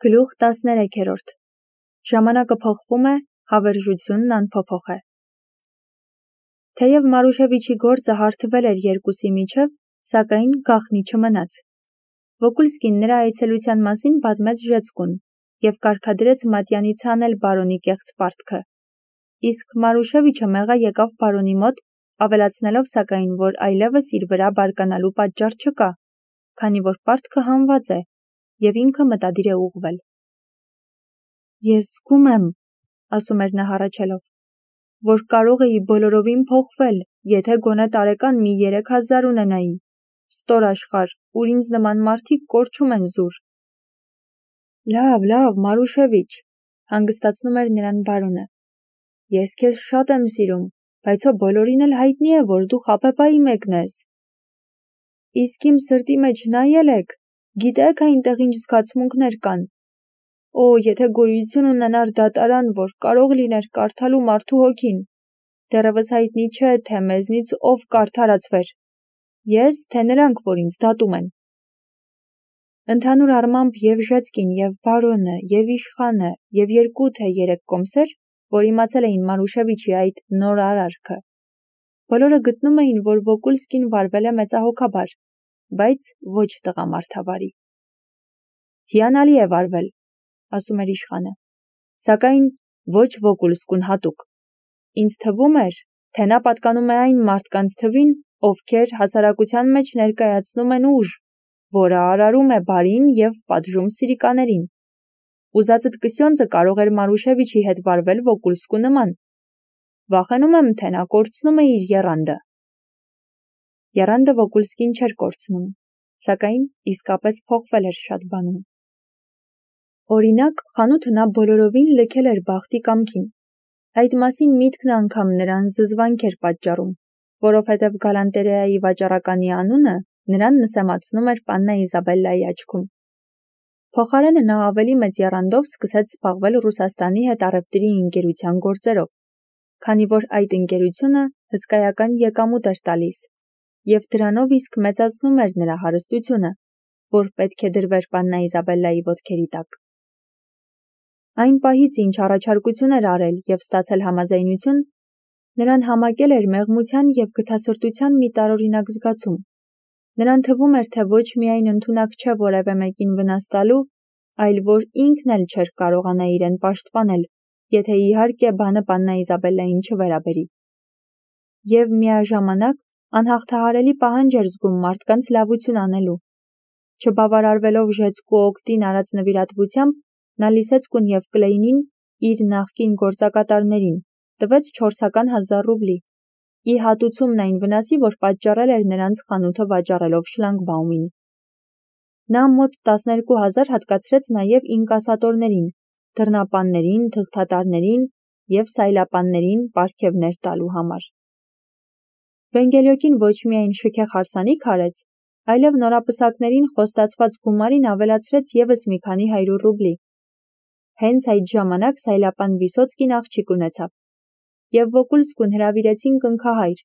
Գլուխ 13-րդ Ժամանակը փոխվում է, հավերժությունն անփոփոխ է։ Թեև Մարուշևիչի գործը հարթվել էր երկուսի միջև, սակայն գաղտնի չմնաց։ Վոկուլսկին նրա այցելության մասին պատմեց Ժեցկուն և կարգադրեց Մատյանից հանել բարոնի կեղծ պարտքը։ Իսկ Մարուշևիչը մեղա եկավ բարոնի մոտ, ավելացնելով սակայն, որ այլևս իր վրա բարկանալու պատճառ չկա, քանի որ պարտքը հանված է, և ինքը մտադիր է ուղղվել։ Ես զգում եմ, ասում էր նա հառաչելով, որ կարող էի բոլորովին փոխվել, եթե գոնե տարեկան մի 3000 ունենայի, ստոր աշխարհ, ուր ինձ նման մարդիկ կորչում են զուր։ Լավ, Մարուշևիչ, հանգստացնում էր նրան բարոնը։ Ես քեզ շատ եմ սիրում, բայց հո բոլորին էլ հայտնի է, որ դու խաբեբայի մեկն ես։ Իսկ իմ սրտի մեջ նայել եք, գիտեք այնտեղ ինչ զգացմունքներ կան։ Օ, եթե գոյություն ունենար դատարան, որ կարող լիներ կարդալու մարդու հոգին, դեռևս հայտնի չէ, թե մեզնից ով կարդարացվեր։ Ես, թե նրանք, որ ինձ դատում են։ Ընդհանուր առմամբ և Ժեցկին, և բարոնը, և իշխանը, և 2 թե 3 կոմսեր, որ իմացել էին Մարուշևիչի այդ նոր արարքը, բոլորը գտնում էին, որ Վոկուլսկին վարվել է մեծահոգաբար, բայց ոչ տղամարդավարի։ Հիանալի է վարվել, ասում էր իշխանը, սակայն ոչ Վոկուլսկուն հատուկ։ Ինձ թվում էր, թե նա պատկանում է այն մարդկանց թվին, ովքեր հասարակության մեջ ներկայացնում են ուժ, որը արարում է բարին և պատժում սիրիկաներին։ Ուզածդ կսյոնձը կարող էր Մարուշևիչի հետ վարվել Վոկուլսկու նման։ Վախենում եմ, թե նա կորցնում է իր եռանդը։ Եռանդը Վոկուլսկին չէր կորցնում, սակայն իսկապես փոխվել էր շատ բանում։ Օրինակ, խանութը նա բոլորովին լքել էր բախտի կամքին։ Այդ մասին միտքն անգամ նրան զզվանք էր պատճառում, որովհետև գալանտերեայի վաճառականի անունը նրան նսեմացնում էր Պաննա Իզաբելլայի աչքում։ Փոխարենը նա ավելի մեծ եռանդով սկսեց զբաղվել Ռուսաստանի հետ առևտրի ընկերության գործերով, քանի որ այդ ընկերությունը հսկայական եկամուտ էր տալիս, և դրանով իսկ մեծացնում էր նրա հարստությունը, որ պետք է դրվեր Պաննա Իզաբելլայի ոտքերի տակ։ Այն պահից, ինչ առաջարկություն էր արել և ստացել համաձայնություն, նրան համակել էր մեղմության և գթասրտության մի տարօրինակ զգացում։ Նրան թվում էր, թե ոչ միայն ընդունակ չէ որևէ մեկին վնաս տալու, այլ որ ինքն էլ չէր կարողանա իրեն պաշտպանել, եթե իհարկե բանը Պաննա Իզաբելլային չվերաբերի։ Եվ միաժամանակ անհաղթահարելի պահանջ էր զգում մարդկանց լավություն անելու։ Չբավարարվելով Ժեցկու օգտին արած նվիրատվությամբ, նա Լիսեցկուն և Կլեյնին, իր նախկին գործակատարներին, տվեց 400.000 ռուբլի, ի հատուցումն այն վնասի, որ պատճառել էր նրանց խանութը վաճառելով շլագբաումին։ Նա մոտ 12,000 հատկացրեց նաև ինկասատորներին, դռնապաններին, թղթատարներին և սայլապաններին պարգևներ տալու համար։ Վենգելյոկին ոչ միայն շքեղ հարսանիք արեց, այլև նորապսակներին խոստացված գումարին ավելացրեց ևս մի քանի 100 ռուբլի։ Հենց այդ ժամանակ սայլապան Վիսոցկին աղջիկ ունեցավ, և Վոկուլսկուն հրավիրեցին կնքահայր։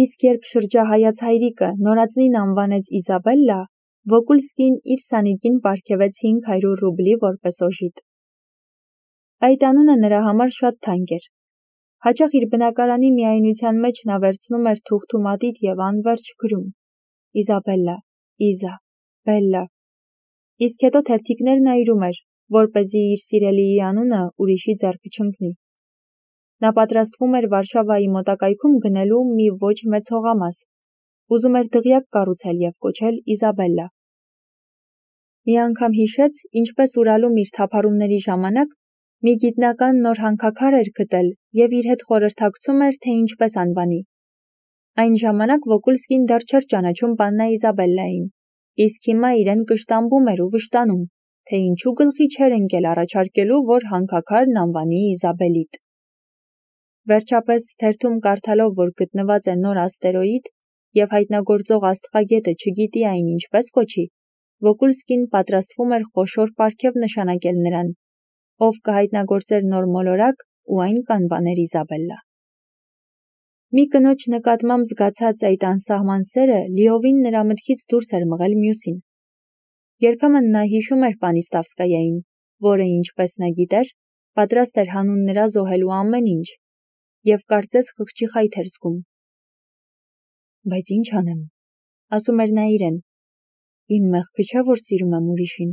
Իսկ երբ շրջահայաց հայրիկը նորածնին անվանեց Իզաբելլա, Վոկուլսկին իր սանիկին պարգևեց 500 ռուբլի որպես օժիտ։ Այդ անունը նրա համար շատ թանկ էր։ Հաճախ իր բնակարանի միայնության մեջ նա վերցնում էր թուղթ ու մատիտ և անվերջ գրում. Իզաբելլա, Իզա, Բելլա։ Իսկ հետո թերթիկներ նայրում էր, որպեսզի իր սիրելիի անունը ուրիշի ձեռքը չընկնի։ Նա պատրաստվում էր Վարշավայի մոտակայքում գնելու մի ոչ մեծ հողամաս, ուզում էր դղյակ կառուցել և կոչել Իզաբելլա։ Մի անգամ հիշեց, ինչպես Ուրալում իր թափառումների ժամանակ մի գիտնական նոր հանքաքար էր գտել և իր հետ խորհրդակցում էր, թե ինչպես անվանի։ Այն ժամանակ Վոկուլսկին դեռ չէր ճանաչում Պաննա Իզաբելլային, իսկ հիմա իրեն կշտամբում էր ու վշտանում, թե ինչու գլխի չէր ընկել առաջարկելու, որ հանքաքարն անվանի Իզաբելիտ։ Վերջապես, թերթում կարդալով, որ գտնված է նոր աստերոիդ և հայտնագործող աստղագետը չգիտի այն ինչպես կոչի, Վոկուլսկին պատրաստվում էր խոշոր պարգև նշանակել նրան, ով կհայտնագործեր նոր մոլորակ ու այն կանվաներ Իզաբելլա։ Մի կնոջ նկատմամբ զգացած այդ անսահման սերը լիովին նրա մտքից դուրս էր մղել մյուսին։ Երբեմն նա հիշում էր Պանիստավսկայային, որը ինչպես նա գիտեր, պատրաստ էր հանուն նրա զոհելու ամեն ինչ, և կարծես խղճի խայթ էր զգում։ Բայց ինչ անեմ, ասում էր նա իրեն, իմ մեղքը չէ, որ սիրում եմ ուրիշին։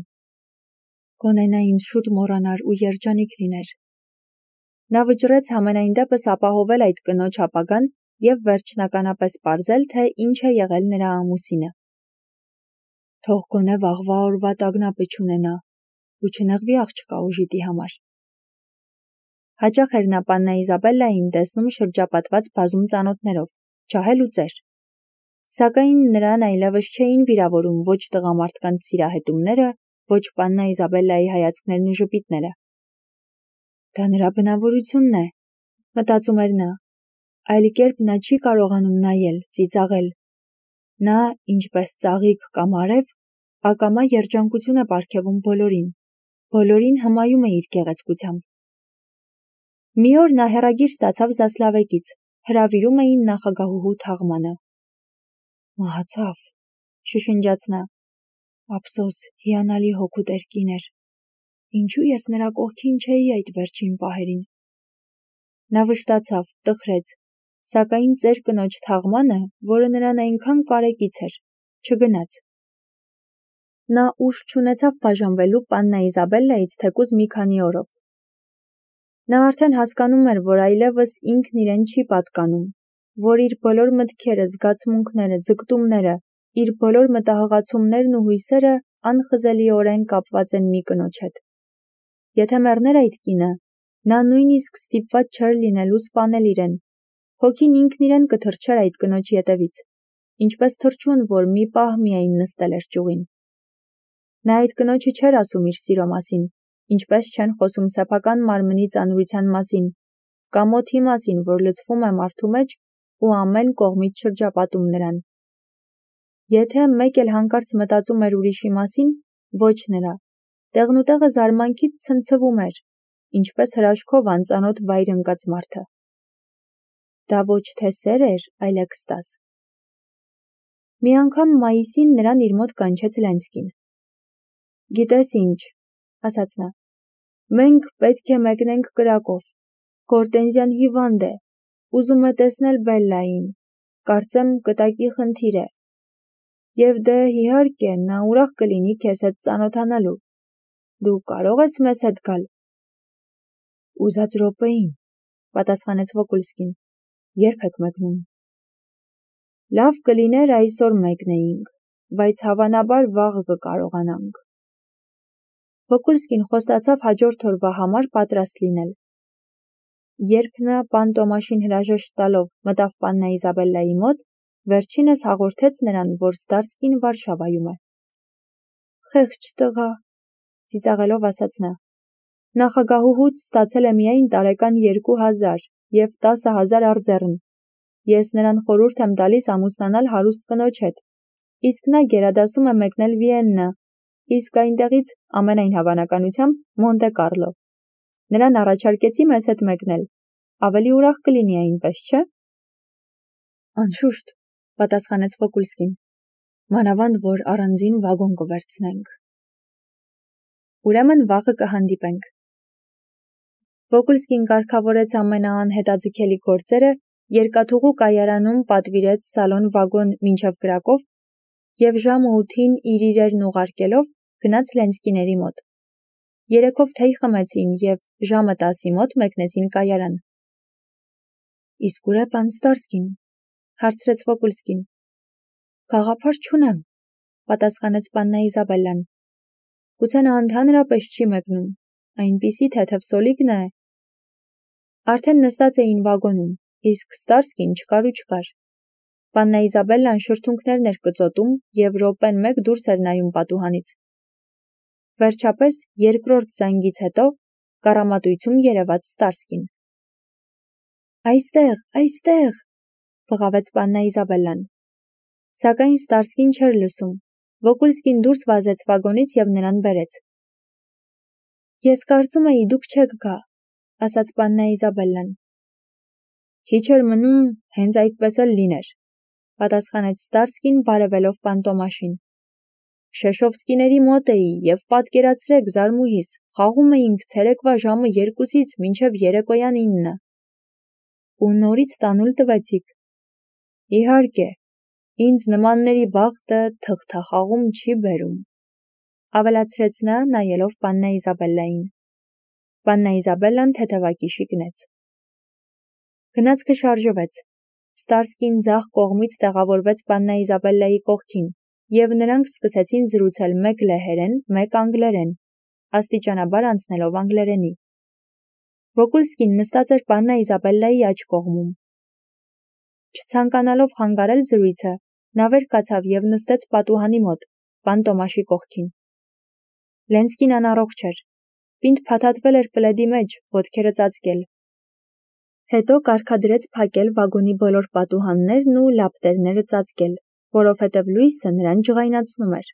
Գոնե նա ինձ շուտ մոռանար ու երջանիկ լիներ։ Նա վճռեց համենայն դեպս ապահովել այդ կնոջ ապագան և վերջնականապես պարզել, թե ինչ է եղել նրա ամուսինը։ Թող գոնե վաղվա օրվա տագնապը չունենա ու չնեղվի աղջկա ուժիտի համար։ Հաճախ էր նա Պաննա Իզաբելլային տեսնում շրջապատված բազում ծանոթներով, ջահել ու ծեր։ Սակայն նրան այլևս չէին վիրավորում ոչ տղամարդկանց սիրահետումները, ոչ Պաննա Իզաբելլայի հայացքներն ու ժպիտները։ Դա նրա բնավորությունն է, մտածում էր նա, այլ կերպ նա չի կարողանում նայել, ծիծաղել։ Նա, ինչպես ծաղիկ կամ արև, ակամա երջանկություն է պարգևում բոլորին հմայում է իր գեղեցկությամբ։ Մի օր նա հեռագիր ստացավ Զասլավեկից, հրավիրում էին նախագահուհու թաղմանը։ Մահացավ, շշնջաց նա, ափսոս, հիանալի հոգու տերկին էր։ Ինչու ես նրա կողքին չէի այդ վերջին պահերին։ Նա վշտացավ, տխրեց, սակայն ծեր կնոջ թաղմանը, որը նրան այնքան կարեկից էր, չգնաց։ Նա ուժ չունեցավ բաժանվելու Պաննա Իզաբելլայից թեկուզ մի քանի օրով։ Նա արդեն հասկանում էր, որ այլևս ինքն իրեն չի պատկանում, որ իր բոլոր մտքերը, զգացմունքները, ձգտումները, իր բոլոր մտահղացումներն ու հույսերը անխզելիորեն կապված են մի կնոջ հետ։ Եթե մեռներ այդ կինը, նա նույնիսկ ստիպված չէր լինելու սպանել իրեն, հոգին ինքն իրեն կթռչեր այդ կնոջ ետևից, ինչպես թռչուն, որ մի պահ միայն նստել էր ճյուղին։ Նա այդ կնոջը չէր ասում իր սիրո մասին, ինչպես չեն խոսում սեփական մարմնի ծանրության մասին, կամ օդի մասին, որ լցվում է մարդու մեջ ու ամեն կողմից շրջապատում նրան։ Եթե մեկ էլ հանկարծ մտածում էր ուրիշի մասին, ոչ նրա, տեղնուտեղը զարմանքից ցնցվում էր, ինչպես հրաշքով անծանոթ վայր ընկած մարդը։ Դա ոչ թե սեր էր, այլ էքստազ։ Մի անգամ մայիսին նրան իր մոտ կանչեց Լենսկին։ Գիտես ինչ, ասաց նա, մենք պետք է մեկնենք կրակով, Գորտենզյան հիվանդ է, ուզում է տեսնել Բելլային, կարծեմ կտակի խնդիր է։ Եվ դե իհարկե նա ուրախ կլինի քեզ հետ ծանոթանալու։ Դու կարող ես մեզ հետ գալ։ Ուզած րոպեին, պատասխանեց Վոկուլսկին, երբ եք մեկնում։ Լավ կլիներ այսօր մեկնեինք, բայց հավանաբար վաղը կկարողանանք։ Վոկուլսկին խոստացավ հաջորդ օրվա համար պատրաստ լինել։ Երբ նա Պանտոմաշին հրաժեշտ տալով մտավ Պաննա Իզաբելլայի մոտ, վերջինս հաղորդեց նրան, որ Ստարսկին Վարշավայում է։ Խեղճ տղա, ծիծաղելով ասաց նա, նախագահուհուց ստացել է միայն տարեկան 2000 և 10,000 արձեռն։ Ես նրան խորհուրդ եմ տալիս ամուսնանալ հարուստ կնոջ հետ, իսկ նա գերադասում է մեկնել Վիեննա, իսկ այնտեղից ամենայն հավանականությամբ Մոնտե Կարլո։ Նրան առաջարկեցի մեզ հետ մեկնել, ավելի ուրախ կլինի այնպես, չէ՞։ Անշուշտ, պատասխանեց Վոկուլսկին, մանավանդ որ առանձին վագոն կվերցնենք։ Ուրեմն վաղը կհանդիպենք։ Վոկուլսկին կարգավորեց ամենաանհետաձգելի գործերը, երկաթուղու կայարանում պատվիրեց սալոն-վագոն մինչև կրակով և ժամը 8-ին իր իրերն ուղարկելով գնաց Լենսկիների մոտ։ Երեքով թեյ խմեցին և ժամը 10-ի մոտ մեկնեցին կայարան։ Իսկ ուր է պան Ստարսկին, հարցրեց Վոկուլսկին։ Գաղափար չունեմ, պատասխանեց Պաննա Իզաբելլան։ Գուցե նա ընդհանրապես չի մեկնում, այնպիսի թեթև սոլիկն է։ Արդեն նստած էին վագոնում, իսկ Ստարսկին չկար ու չկար։ Պաննա Իզաբելլան շրթունքներն էր կծոտում և րոպեն մեկ դուրս էր նայում պատուհանից։ Վերջապես, երկրորդ զանգից հետո, կառամատույցում երևաց Ստարսկին։ Այստեղ, բղավեց Պաննա Իզաբելլան։ Սակայն Ստարսկին չէր լսում։ Վոկուլսկին դուրս վազեց վագոնից և նրան բերեց։ Ես կարծում էի դուք չեք գա, ասաց Պաննա Իզաբելլան։ Քիչ էր մնում, հենց այդպես էլ լիներ, պատասխանեց Ստարսկին բարևելով Պանտոմաշին։ Շեշովսկիների մոտ էի և պատկերացրեք զարմուհիս, խաղում էինք ցերեկվա ժամը 2-ից մինչև երեկոյան 9. Ու նորից տանուլ տվեցիք։ Իհարկե, ինձ նմանների բախտը թղթախաղում չի բերում, ավելացրեց նա նայելով պաննա Իզաբելլային։ Պաննա Իզաբելլան թեթևակիշի գնեց։ Գնացքը շարժվեց։ Ստարսկին ձախ կողմից տեղավորվեց պաննա Իզաբելլայի կողքին, և նրանք սկսեցին զրուցել մեկ լեհերեն, մեկ անգլերեն, աստիճանաբար անցնելով անգլերենի։ Վոկուլսկին նստած էր պաննա Իզաբելլայի աջ կողմում։ Չցանկանալով խանգարել զրույցը, նա վեր կացավ և նստեց պատուհանի մոտ, պան Տոմաշի կողքին։ Լենսկին անառողջ էր։ Պինդ փաթաթվել էր պլեդի մեջ, ոտքերը ծածկել։ Հետո կարգադրեց փակել վագոնի բոլոր պատուհաններն ու լապտերները ծածկել, որովհետև լույսը նրան ջղայնացնում էր։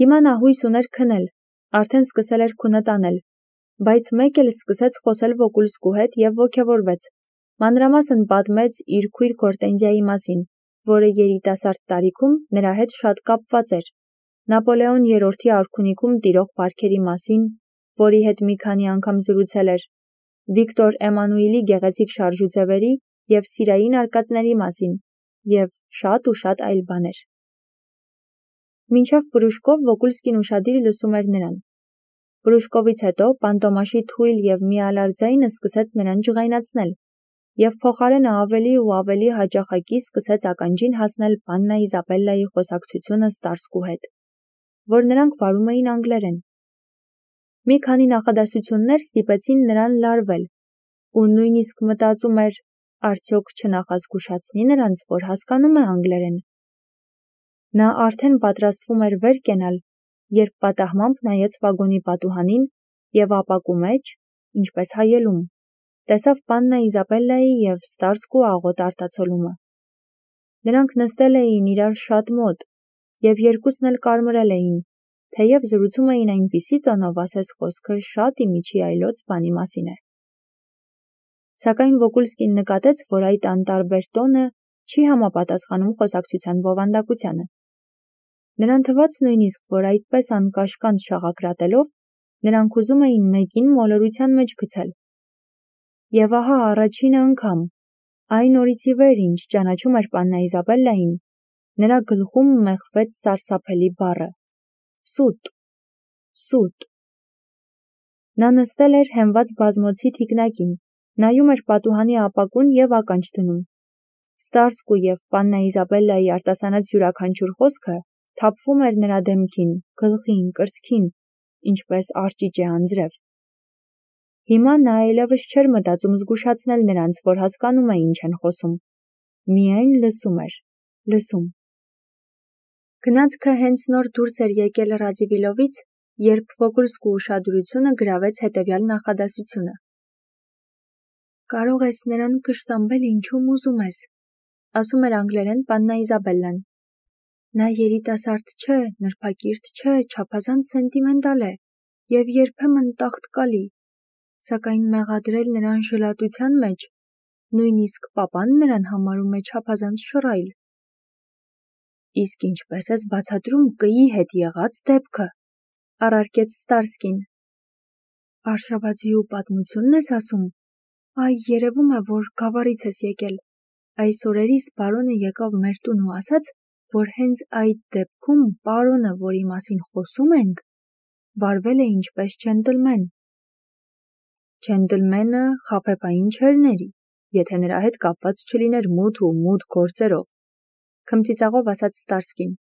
Հիմա նա հույս ուներ քնել, արդեն սկսել էր քունը տանել, բայց մեկ էլ սկսեց խոսել Վոկուլսկու հետ և ոգևորվեց, մանրամասն պատմեց իր քույր Գորտենզիայի մասին, որը երիտասարդ տարիքում նրա հետ շատ կապված էր, Նապոլեոն III-ի արքունիքում տիրող բարքերի մասին, որի հետ մի քանի անգամ զրուցել էր, Վիկտոր Էմանուիլի գեղեցիկ շարժուձևերի և սիրային արկածների մասին, և շատ ու շատ այլ բաներ։ Մինչև Պրուշկով Վոկուլսկին ուշադիր լսում էր նրան։ Պրուշկովից հետո պան Տոմաշի թույլ և միալար ձայնը սկսեց նրան ջղայնացնել, և փոխարենը ավելի ու ավելի հաճախակի սկսեց ականջին հասնել պաննա Իզաբելլայի խոսակցությունը Ստարսկու հետ, որ նրանք վարում էին անգլերեն։ Մի քանի նախադասություններ ստիպեցին նրան լարվել, ու նույնիսկ մտածում էր, արդյոք չնախազգուշացնի նրանց, որ հասկանում է անգլերեն։ Նա արդեն պատրաստվում էր վեր կենալ, երբ պատահմամբ նայեց վագոնի պատուհանին և ապակու մեջ, ինչպես հայելում, տեսավ պաննա Իզաբելլայի և Ստարսկու աղոտ արտացոլումը։ Նրանք նստել էին իրար շատ մոտ, և երկուսն էլ կարմրել էին, թեև զրուցում էին այնպիսի տոնով, ասես խոսքը շատ իմիջի այլոց բանի մասին է։ Սակայն Վոկուլսկին նկատեց, որ այդ անտարբեր տոնը չի համապատասխանում խոսակցության բովանդակությանը։ Նրան թվաց նույնիսկ, որ այդպես անկաշկանդ շաղակրատելով, նրանք ուզում էին մեկին մոլորության մեջ գցել։ Եվ ահա առաջին անգամ, այն օրից ի վեր, ինչ ճանաչում էր պաննա Իզաբելլային, նրա գլխում մեխվեց սարսափելի բառը. սուտ, սուտ։ Նա նստել էր հենված բազմոցի թիկնակին, նայում էր պատուհանի ապակուն և ականջ դնում։ Ստարսկու և պաննա Իզաբելլայի արտասանած յուրաքանչյուր խոսքը թափվում էր նրա դեմքին, գլխին, կրծքին, ինչպես արճիճե անձրև։ Հիմա նա այլևս չէր մտածում զգուշացնել նրանց, որ հասկանում է ինչ են խոսում։ Միայն լսում էր, լսում։ Գնացքը հենց նոր դուրս էր եկել Ռաձիվիլովից, երբ Վոկուլսկու ուշադրությունը գրավեց հետևյալ նախադասությունը. «Կարող ես նրան կշտամբել ինչում ուզում ես», ասում էր անգլերեն պաննա Իզաբելլան։ Նա երիտասարդ չէ, նրբակիրթ չէ, չափազանց սենտիմենտալ է և երբեմն տաղտկալի, սակայն մեղադրել նրան ժլատության մեջ, նույնիսկ պապան նրան համարում է չափազանց շռայլ։ Իսկ ինչպես ես բացատրում կի հետ եղած դեպքը, առարկեց Ստարսկին։ Արշավածիու պատմությունն ես ասում։ Այ, երևում է, որ գավառից ես եկել։ Այս օրերիս պարոնը եկավ մեր տուն ու ասաց, որ հենց այդ դեպքում պարոնը, որի մասին խոսում ենք, վարվել է ինչպես ջենտլմեն։ Ջենտլմենը խաբեբային չէր ների, եթե նրա հետ կապված չլիներ մութ ու մութ գործերով, քմծիծաղով ասաց Ստարսկին։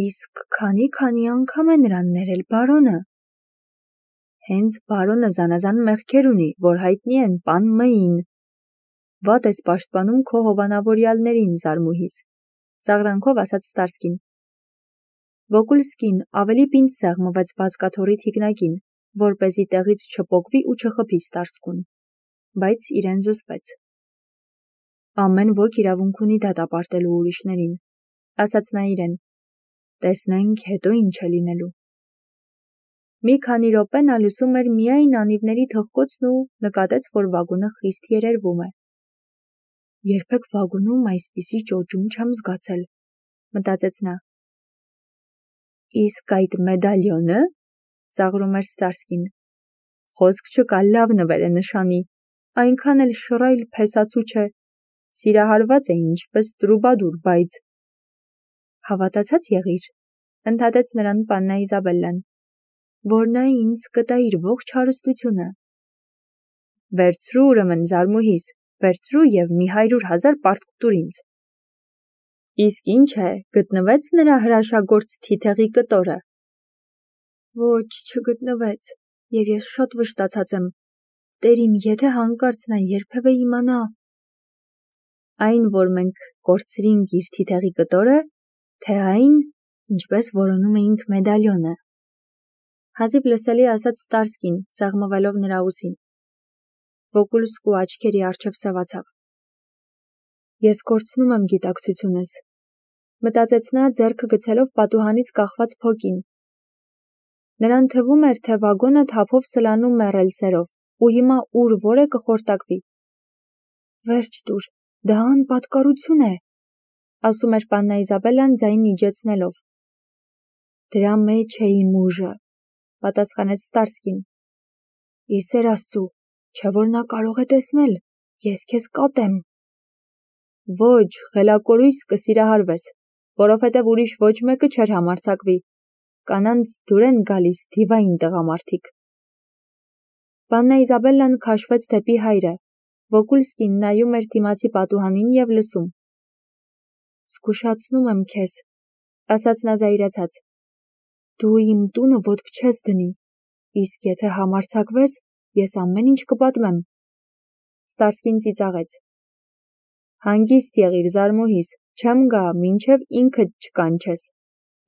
Իսկ քանի անգամ է նրան ներել բարոնը։ Հենց բարոնը զանազան մեղքեր ունի, որ հայտնի են պան Մ-ին։ Վատ ես պաշտպանում քո հովանավորյալներին, զարմուհիս, ծաղրանքով ասաց Ստարսկին։ Վոկուլսկին ավելի պինդ սեղմվեց բազկաթոռի թիկնակին, որպեսզի տեղից չպոկվի ու չխփի Ստարսկուն, բայց իրեն զսպեց։ Ամեն ոք իրավունք ունի դատապարտելու ուրիշներին, ասաց նա իրեն։ Տեսնենք հետո ինչ է լինելու։ Մի քանի րոպե նա լսում էր միայն անիվների թխկոցն ու նկատեց, որ վագոնը խիստ երերվում է։ Երբեք վագոնում այսպիսի ճոճում չեմ զգացել, մտածեց նա։ Իսկ այդ մեդալյոնը, ծաղրում էր Ստարսկին, խոսք չկա, լավ նվեր է նշանի, այնքան էլ շռայլ փեսացու չէ, սիրահարված է ինչպես տրուբադուր, բայց… Հավատացած եղիր, ընդհատեց նրան Պաննա Իզաբելլան, որ նա ինձ կտա իր ողջ հարստությունը։ Վերցրու ուրեմն զարմուհիս, վերցրու և մի 100,000 պարտք տուր ինձ։ Իսկ ինչ է, գտնվեց նրա հրաշագործ թիթեղի կտորը։ Ոչ, չգտնվեց, և ես շատ վշտացած եմ։ Տեր իմ, եթե հանկարծ նա երբևէ իմանա… Այն, որ մենք կորցրինք իր թիթեղի կտորը, թե այն, ինչպես որոնում էինք մեդալյոնը, հազիվ լսելի ասաց Ստարսկին, սեղմվելով նրա ուսին։ Վոկուլսկու աչքերի առջև սևացավ։ Ես կորցնում եմ գիտակցությունս, մտածեց նա, ձեռքը գցելով պատուհանից կախված փոկին։ Նրան թվում էր, թե վագոնը թափով սլանում է ռելսերով, ու հիմա ուր որ է կխորտակվի։ Վերջ տուր, դա անպատկառություն է, ասում էր Պաննա Իզաբելլան ձայնն իջեցնելով։ Դրա մեջ է իմ ուժը, պատասխանեց Ստարսկին։ Ի սեր Աստծու, չէ որ նա կարող է տեսնել, ես քեզ կատեմ։ Ոչ, խելակորույս կսիրահարվես, որովհետև ուրիշ ոչ մեկը չէր համարձակվի։ Կանանց դուր են գալիս դիվային տղամարդիկ։ Պաննա Իզաբելլան քաշվեց դեպի հայրը, Վոկուլսկին նայում էր դիմացի պատուհանին և լսում։ Զգուշացնում եմ քեզ, ասաց նա զայրացած։ Դու իմ տունը ոտք չես դնի, իսկ եթե համարձակվես, ես ամեն ինչ կպատմեմ։ Ստարսկին ծիծաղեց։ Հանգիստ եղիր, զարմուհիս, չեմ գա, մինչև ինքդ չկանչես,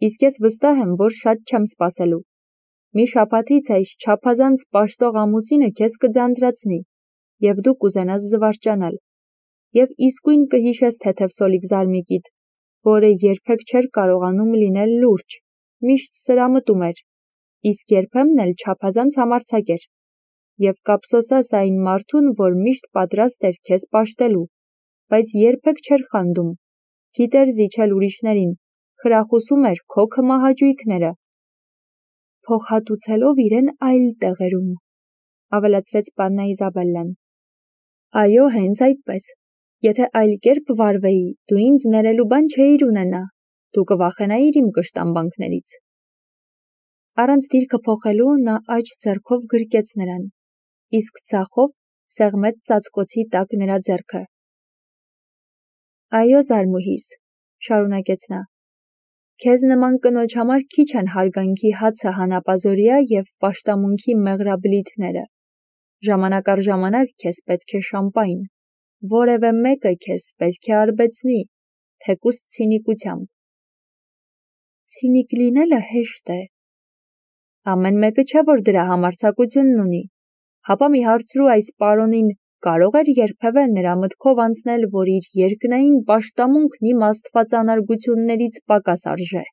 իսկ ես վստահ եմ, որ շատ չեմ սպասելու։ Մի շաբաթից այս չափազանց պաշտող ամուսինը քեզ կձանձրացնի, և դու կուզենաս զվարճանալ, և իսկույն կհիշես թեթև սոլիկ զարմիկիդ, որը երբեք չէր կարողանում լինել լուրջ, միշտ սրամտում էր, իսկ երբեմն էլ չափազանց համարձակ էր, և կափսոսաս այն մարդուն, որ միշտ պատրաստ էր քեզ պաշտելու, բայց երբեք չէր խանդում, գիտեր զիջել ուրիշներին, խրախուսում էր քո քմահաճույքները, փոխհատուցելով իրեն այլ տեղերում, ավելացրեց Պաննա Իզաբելլան։ Այո, հենց այդպես, եթե այլ կերպ վարվեի, դու ինձ ներելու բան չէիր ունենա, դու կվախենայիր իմ կշտամբանքներից։ Առանց դիրքը փոխելու նա աջ ձեռքով գրկեց նրան, իսկ ձախով սեղմեց ծածկոցի տակ նրա ձեռքը։ Այո, զարմուհիս, շարունակեց նա, քեզ նման կնոջ համար քիչ են հարգանքի հացը հանապազօրյա և պաշտամունքի մեղրաբլիթները։ Ժամանակ առ ժամանակ քեզ պետք է շամպայն, որևէ մեկը քեզ պետք է արբեցնի, թեկուզ ցինիկությամբ։ Ցինիկ լինելը հեշտ է։ Ամեն մեկը չէ, որ դրա համարձակությունն ունի, հապա մի հարցրու այս պարոնին, կարող էր երբևէ նրա մտքով անցնել, որ իր երկնային պաշտամունքն իմ աստվածանարգություններից պակաս արժե։